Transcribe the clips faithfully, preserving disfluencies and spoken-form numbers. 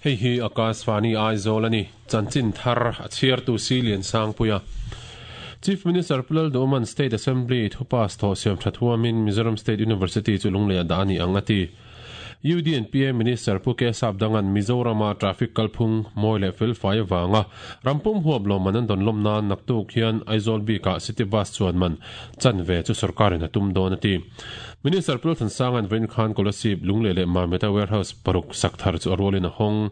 Hei hi Akashvani Aizawl ani chanchin thar a chhiar tu si lian sang puia Chief Minister Pulal Doman State Assembly thupas tho siam thathuamin Mizoram State University chu lunglei da ani angati U D N P A Minister Puke Sapdangan Mizorama traffic kalphung moile fel fai wanga rampum huap lo manan don lomna naktuk hian Aizawl bika city bus chuan man chanve chu sarkarin atum don ati Minister Pulthan Sangan Ven Khan Kolasib lungle le Mameta warehouse paruk sakthar chu arolin hong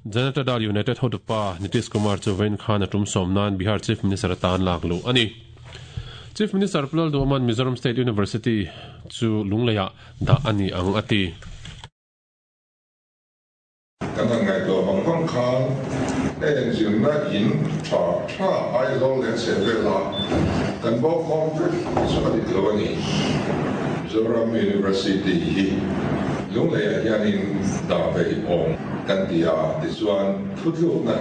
Janata Dal United Hotupa Nitish Kumar chu Ven Khan atum somnan Bihar Chief Minister tan laklu ani Chief Minister Pulal Doman Mizoram State University chu lungleya da ani ang ati kan ngai to bang bang khan eng jin na in cha cha ai zo le se ve la kan bo khom chu ani lo ani Mizoram University hi lunglei hianin da ve ong kan tia ti chuan thuthluk na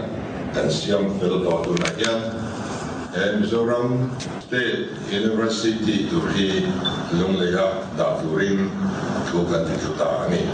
kan siam fel to tu na hian Mizoram State University tur hi lungleia da turin thu kan ti thu ta ani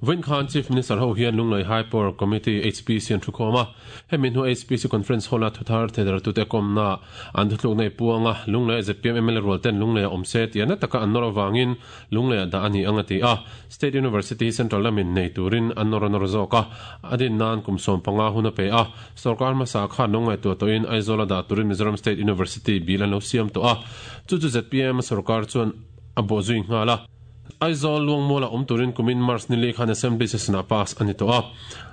Ven Khan Chief Minister ho hian lunglei High Power Committee H P C an thukoma hemin hu H P C conference hall a thuthar thedar tu te komna an thutluk nei puanga lunglei Z P M M L A rol ten lunglei omse tiana taka an nor awangin lunglei da ani angati a State University Central lamin nei turin an nor nor zoka adin nan kumsom panga huna pe a sarkar ma sa kha lunglei tu to in Aizawl da turin Mizoram State University bilan lo siam to a chu chu Z P M sarkar chuan abo zui ngala Aizawl luang mola om turin kumin March nili khan assembly session a pass ani to a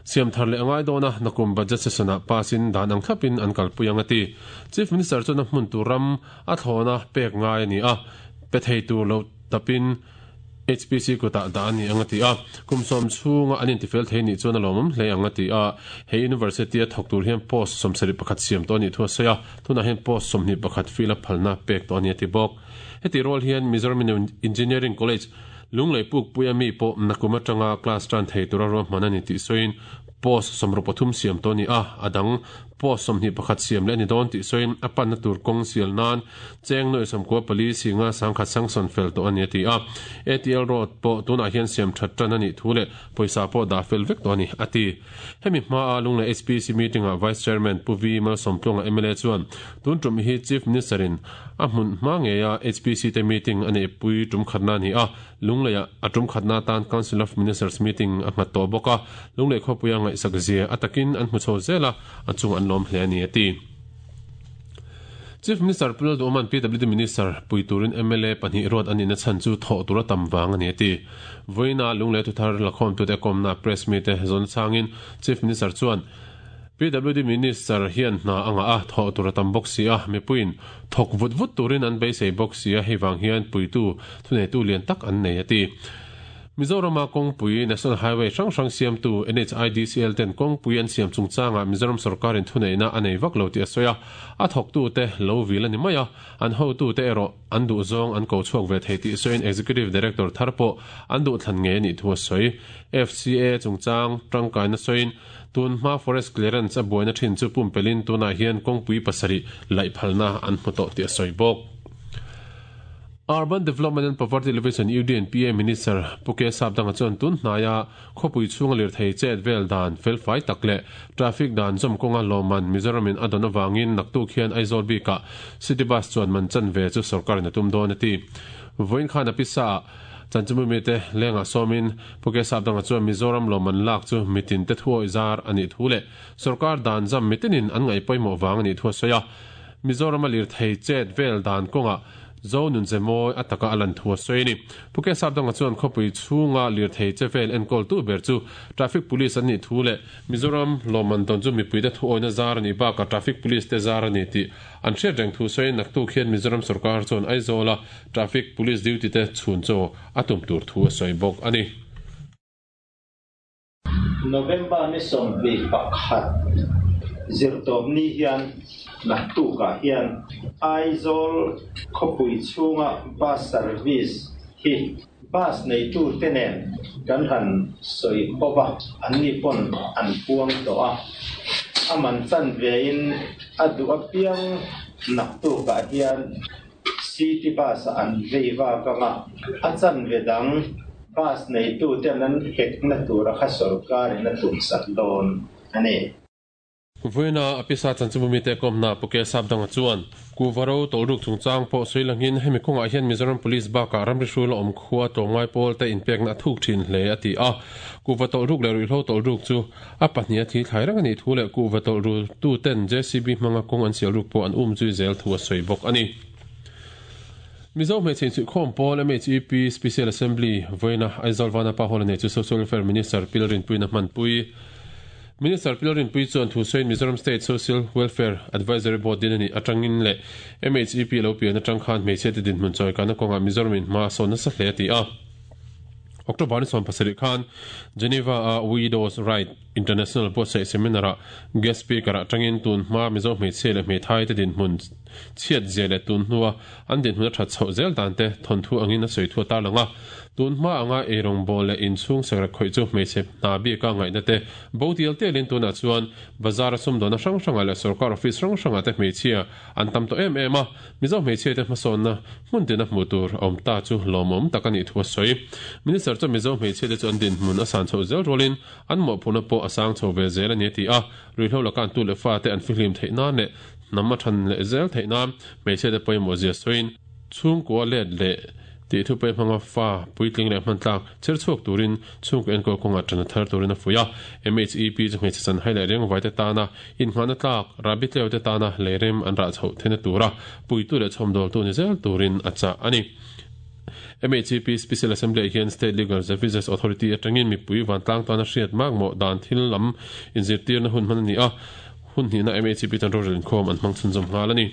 siam thar le angai dona nakum budget session a passin dan ang thapin an kalpui ati Chief Minister chu na hmun turam a thona pek ngai ani a pe thei tur lo tapin H P C kota da ani angati a kumsom chunga anin tifel thei ni chuan alomum hle angati a he university a thok tur hian post somsari pakhat siam to ni thua soya tuna hian post somni pakhat fila phalna pek to ani ati bok heti rol hian Mizoram Engineering College lunglei puk puya mi po nakuma tanga class tan thei tura ro manani ti soin post somro pathum siam to ni a adang post somni pakhat siam le ni don ti soin apan na tur kong sial nan cheng noi som ko pali singa sangkhat sangson fel to ani ti a A T L road po tuna hian siam that tan ani thule poisa po da fel vek to ani ati hemi ma a lunglei H P C meeting a vice chairman Pu V Mal Somtlonga M L A chuan tun tum hi chief minister in a hmun ma nge ya H P C te meeting ani pui tum khatna ni a lunglei atum khatna tan Council of Ministers meeting a hmat to boka lunglei khopuya ngai sakzia atakin an hmu chho zela achung an lom hle ani ati Chief Minister Pulal Doman P W D Minister Puiturin M L A pahnih road ani na chan chu tho tura tam wang ani ati voina lunglei thuthar lakhom tu te komna press meet te zon changin Chief Minister chuan P W D Minister hian na anga a tho tura tam bok si a mi puin thok vut vut turin an beisei bok si a hei wang hian puitu thunei tu lian tak an nei ati Mizorama kongpui National Highway hrang hrang siam tu N H I D C L ten kongpui an siam chungchanga Mizoram sarkarin thuneina anei vak lo ti a soya a thok tu te lo vil ani maia an ho tu te ero an du zawng an ko chhuak ve thei ti soin Executive Director tharpo an du thlan nge ni thu a soi F C A chungchang tangkai na soin tun hma forest clearance a buaina thin chu pumpelin tuna hian kongpui pasari lai phalna an hmu tawh ti a soi bawk Urban Development and Poverty Alleviation U D N P A Minister Puke Sapdanga chuan tun hnaya khawpui chhunga lir thei chet vel dan fel fai tak leh traffic dan zawm kawnga lawman Mizoramin a dawn awangin naktuk hian Aizawl bika city bus chuan man chan ve chu sarkarin a tum dawn ati vawiin khan a pisa chanchumi mi te lenga sawmin Puke Sapdanga chuan Mizoram lawman lak chu mitin te thuawi zar ani thu leh sarkar dan zam mitinin an ngai pawimawh wang ani thu a sawi a Mizoram a lir thei chet vel dan kawnga zo nun zemoi ataka alan thua soini Puke Sapdanga chuan khawpui chhunga lir thei chevel enkol tu ber chu traffic police ani thu le Mizoram lawman don chu mipui te thuawina zar ani baka traffic police te zar ani ti an hriat reng thu sawi naktuk hian Mizoram sarkar chuan Aizawla traffic police duty te chhun chaw atum tur thu a sawi bawk ani November ni sawmhnih pakhat zirtawm ni hian naktukah hian Aizawl khawpui chhunga bus service hi bus neitu te nen kan han sawi khawpa an ni pawn an puang tawh a a man chan vein a duh apiang naktukah hian city bus an vei vak anga a chan ve dang Bus neitu ten an hekna tura kha sawrkarin a tumsak dawn a ni. Vawiina a pisa chanchinbumi te kawmna Puke Sapdanga chuan Kuvaro tawlruk chungchang pawh sawi langin hemi kawngah hian Mizoram Police bakah ramri hrul a awm khua tlawmngai pawl te inpekna a thuk thin hle a ti a. Kuva tawlruk leh ruihhlo tawlruk chu a pahnih a thi thlai reng a nih thu leh kuva tawlru tu ten J C B hmanga kawng an sial ruk pawh an um zui zel thu a sawi bawk a ni. Mizo hmeichhe insuihkhawm pawl M H E P Special Assembly vawiina Aizawl Vanapa Hall a nei chu Social Welfare Minister Pilrinpuiin a hmanpui. Minister Pilrinpui chuan thu sawiin Mizoram State Social Welfare Advisory Board din a nih atangin leh M H E P lo pian atang khan hmeichhe te dinhmun chawikana kawngah Mizoram in hma a sawn nasa hle a ti a. October ni sawm pasarih khan Geneva a Widows Right International buatsaih seminar ah guest speaker atangin tun hma Mizo hmeichhe leh hmeithai te dinhmun chhiat zia leh tun hnua an dinhmun a that chhoh zel dan te thawnthu angin a sawi thu a tarlang a. Tun hma anga eirawng bawl leh inchhung sekrak khawih chu hmeichhe hna bika ngaihna te bo tial tialin tunah chuan bazar a sumdawhna hrang hrangah leh sawrkar office hrang hrangah te hmeichhia an tam tawh em em a. Mizo hmeichhia te hmasawnna hmun tina hmuh tur a awm ta chu lawmawm tak a nih thu a sawi. Minister chuan Mizo hmeichhia te chu an dinhmun a san chhoh zel rualin an mawhphurhna pawh a sang chho ve zel a ni a ti a. Ruihhlo laka an tu leh fa te an fihlim theih nan leh hnam a than leh zel theih nan hmeichhia te pawimawh zia sawiin chhungkua let leh tih thu pawh hmanga fa puitling leh hman tlak chher chhuak turin chhungkaw enkawl kawngah tan a thar turin a fuih a. M H E P chu hmeichhe chan hai leh rengvai te tana inngahna tlak rabi tleu te tana leirem an rah chhoh theihna tura puitu leh chhawmdawltu ni zel turin a chah a ni. M H E P Special Assembly ah hian State Legal Services Authority atangin mipui vantlang tana hriat mak mawh dan thil lam inzirtirna hun hman a ni a. Hun hnihna M H E P tan rorel inkhawm an hmang chhunzawm nghal a ni.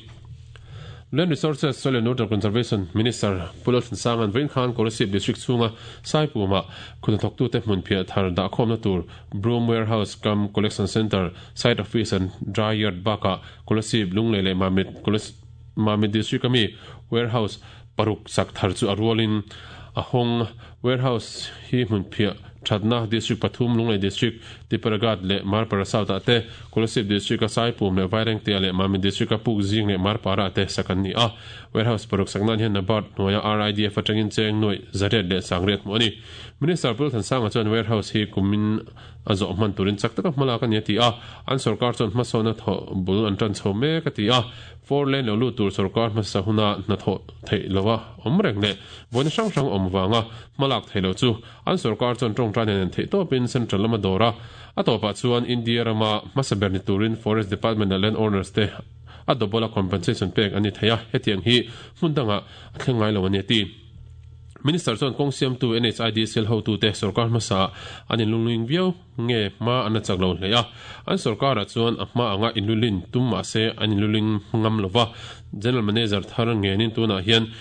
Land Resources, Soil and Water Conservation Minister Pu Lalthansanga'n vawiin khan Kolasib District chhunga Saipuma khuhnathawktute hmun phiah thar dahkhawmna tur Broom Warehouse cum Collection Centre, Site Office and Dry Yard bakah Kolasib, Lunglei leh Mamit Mamit District ami Warehouse paruk sak thar chu a rualin a hawng. Warehouse hi hmun phiah thatna District pathum Lunglei District, Tipperaghat leh Marpara South ah te, Kolasib District a Saipum leh Vairengtea leh Mamit District a Pukzing leh Marpara ah te sak an ni a. Warehouse paruk sak nan hian NABARD hnuaia R I D F atangin cheng nuaih zariat leh sangriat hmuh a ni. Minister Pu Lalthansanga chuan warehouse hi kumin a zawh hman turin chak taka hmalak a ni a ti a. An sawrkar chuan hmasawna thawh bul an tan chho mek a ti a. Four lane lo lut tur sawrkar hmasa huna hna thawh theih loa awm reng leh vawiina hrang hrang awm vanga hmalak theih lo chu an sawrkar chuan tawngtai nen theih tawpin central lama dawr a. A tawpah chuan India rama hmasa ber ni turin Forest Department leh land owners te a double a compensation pek an ni thei a. Hetiang hi hmun dangah a thleng ngai lo a ni a ti. Minister chuan kawng siamtu N H I D C L hotute sawrkar hmasa an inlungling viau nge hma an la chak lo hle a. An sawrkarah chuan a hma anga inlulin tum mahse an inluling ngam lova. General Manager thar ngenin tunah hian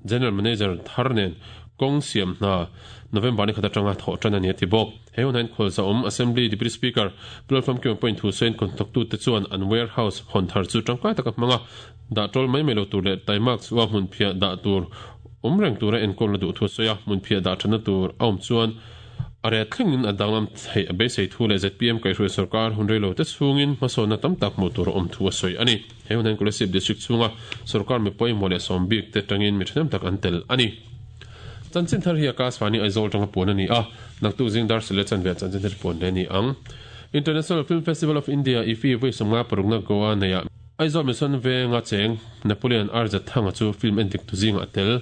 General Manager thar nen kawng siam hna November ni khat atanga thawh tan a ni a ti bawk. He hun hian khualza awm Assembly Deputy Speaker Platform Kim point thu sawiin contractute chuan an warehouse hawn thar chu tangkai taka hmanga dah tawl mai mai lo tur leh taimak chu a hmun phiah dah tur awm reng tura enkawl na duh thu sawi a. Hmun phiah dah thana tur a awm chuan a ret thlengin a danglam theih a beisei thu leh Z P M kaihhruai sawrkar hun rei lo te chhungin hmasawnna tam tak hmuh tur a awm thu a sawi a ni. He hun hian Kolasib District chhunga sawrkar mi pawimawh leh sawm bik te tangin mi thahnem tak an tel a ni. Chanchin thar hi Akashvani Aizawl tanga puan a ni a. Naktuk zing dar sile chanve chanchin thar puan hle a ni ang. International Film Festival of India I F I vawi sawmnga parukna Goa neia Aizawl Mission venga cheng Napoleon R Z Thanga chu film endik tu zingah a tel.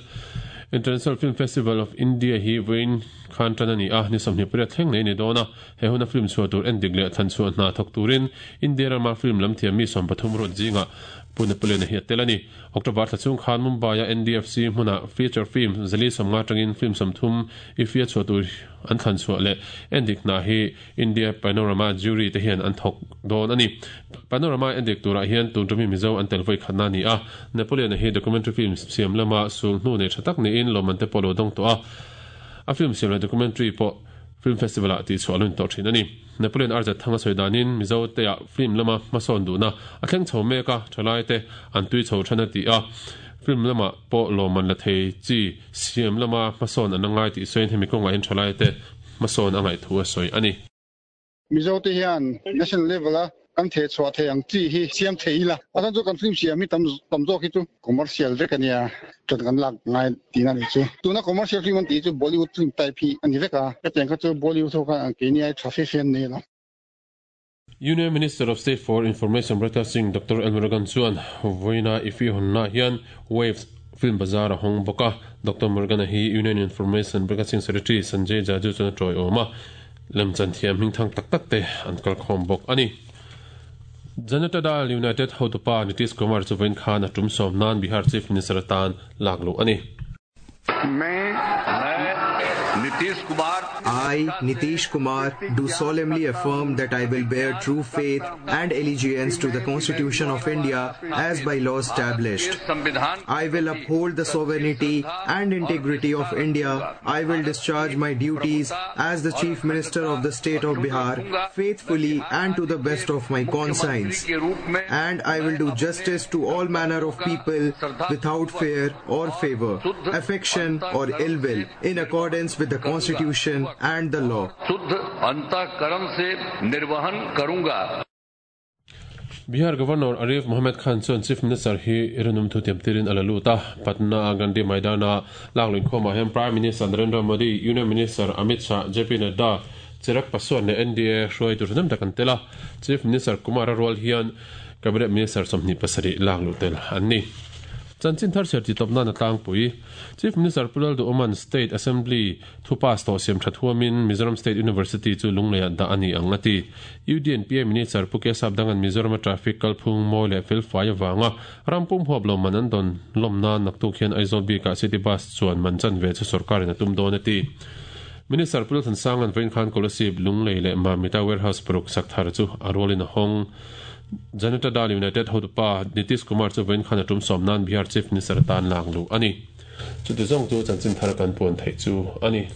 International Film Festival of India hi vawiin khan tan a ni a. Ni sawmhnih pariat thleng nei ni dawn a. He huna film chhuah tur endik leh than chhuah hna thawk turin India rama film lam thiam mi sawm pathum ruat zingah Pu Napoleon a hi a tel a ni. October thla chung khan Mumbai a N D F C hmuna feature film zali sawmnga tangin film sawmthum I F I a chhuah tur an thlan chhuah leh endik hna hi India Panorama jury te hian an thawk dawn a ni. Panorama endik turah hian tun tumi Mizo an tel vawi khatna a ni a. Napoleon a hi documentary film siam lama sul hnu nei tha tak niin lawmman te pawh lo dawng tawh a. A film siam leh documentary pawh film festival ah tih chhuah a lun tawh thin a ni. Napoleon R Z Thanga sawi danin Mizo te ah film lama hmasawn duhna a thleng chho mek a, thalai te an tui chho than a ti a. Film lama pawh lawmman la thei chi siam lama hmasawn an angai tih sawiin hemi kawngah hian thalai te hmasawn a ngaih thu a sawi a ni. Mizo te hian national level a Kan the chhuah thei ang chi hi siam thei ila a chan chu kan film siam hi tam tam zawk hi chu commercial vek ania ṭan kan lak ngai tina ni chu tuna commercial film an ti chu Bollywood film type hi ani vek a hetiang kha chu Bollywood ho khan an keini ai tha fe fe an nei lo. Union Minister of State for Information Broadcasting Doctor L Murugan chuan vawiina ifi hawnna hian Waves Film Bazaar a hawng bawk a. Doctor Murugan hi Union Information Broadcasting Secretary Sanjay Jaju chuan a tawiawm a, lemchan thiam hming thang tak tak te an kalkhawm bawk a ni. Janata Dal United hotupa Nitish Kumar chu vawiin khan a tum sawm nan Bihar Chief Minister atan lak luh a ni. I, Nitish Kumar, do solemnly affirm that I will bear true faith and allegiance to the Constitution of India as by law established. I will uphold the sovereignty and integrity of India. I will discharge my duties as the Chief Minister of the State of Bihar faithfully and to the best of my conscience. And I will do justice to all manner of people without fear or favor, affection or ill will, in accordance with the Constitution and the law. Bihar Governor Arif Mohammed Khan chuan Chief Minister hi irinum thu tiam tirin a la lut a. Patna Gandhi Maidana lakluin khawmah hian Prime Minister Narendra Modi, Union Minister Amit Shah, J P Nadda, Chirag Paswan leh N D A hruai tur ṭhahnem tak an tel a. Chief Minister Kumar a rual hian Cabinet Minister sawmhnih pasarih lakluh tel an ni. Chanchin thar ser ti tawp nan a tlangpui. Chief Minister Pu Lalduhoman State Assembly thu pass tawh siam tha thuamin Mizoram State University chu Lungleiah dah a ni ang a ti. U D N P A Minister Pu Kesap Dangan Mizoram traffic kalphung mawi leh fel fai awanga rampum huap lo man an dawn lawm nan naktuk hian Aizawl bikah city bus chuan man chan ve chu sarkarin a tum dawn a ti. Minister Pu Lalthansangan vawiin khan Kolasib Lunglei leh Mamita Warehouse paruk sak thar chu a rualin a hawng. Janata Dal United hotupa Nitish Kumar chu vawiin khan a tum sawm nan Bihar Chief Minister atan lak luh a ni. Chuti zawng chu chanchin thar kan puan theih chu a ni.